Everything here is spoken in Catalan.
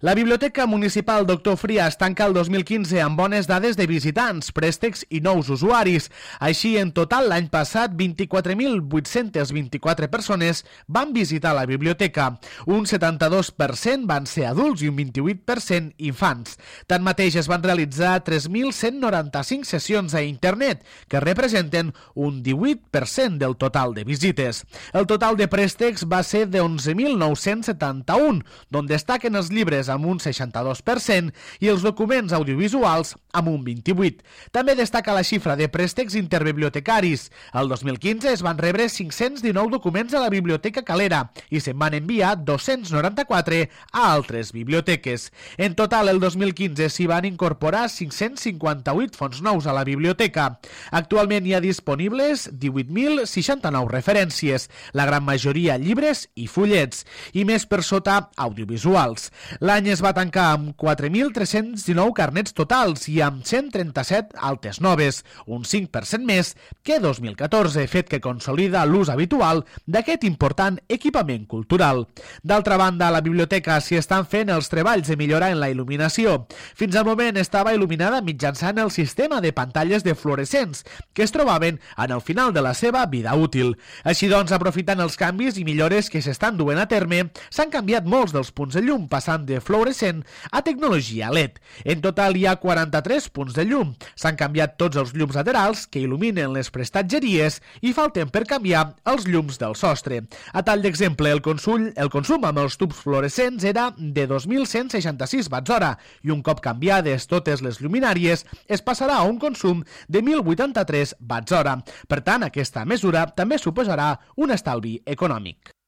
La Biblioteca Municipal Doctor Frias tanca el 2015 amb bones dades de visitants, préstecs i nous usuaris. Així, en total, l'any passat, 24.824 persones van visitar la biblioteca. Un 72% van ser adults i un 28% infants. Tanmateix, es van realitzar 3.195 sessions a internet, que representen un 18% del total de visites. El total de préstecs va ser de 11.971, d'on destaquen els llibres amb un 62% i els documents audiovisuals amb un 28%. També destaca la xifra de préstecs interbibliotecaris. El 2015 es van rebre 519 documents a la Biblioteca Calera i se'n van enviar 294 a altres biblioteques. En total, el 2015 s'hi van incorporar 558 fons nous a la biblioteca. Actualment hi ha disponibles 18.069 referències, la gran majoria llibres i fullets, i més per sota audiovisuals. L'any es va tancar amb 4.319 carnets totals i amb 137 altes noves, un 5% més que 2014, fet que consolida l'ús habitual d'aquest important equipament cultural. D'altra banda, a la biblioteca s'hi estan fent els treballs de millorar en la il·luminació. Fins al moment estava il·luminada mitjançant el sistema de pantalles de fluorescents que es trobaven en el final de la seva vida útil. Així doncs, aprofitant els canvis i millores que s'estan duent a terme, s'han canviat molts dels punts de llum, passant de fluorescent a tecnologia LED. En total hi ha 43 punts de llum. S'han canviat tots els llums laterals que il·luminen les prestatgeries i falten per canviar els llums del sostre. A tall d'exemple, el consum amb els tubs fluorescents era de 2.166 watts-hora i un cop canviades totes les lluminàries es passarà a un consum de 1.083 watts-hora. Per tant, aquesta mesura també suposarà un estalvi econòmic.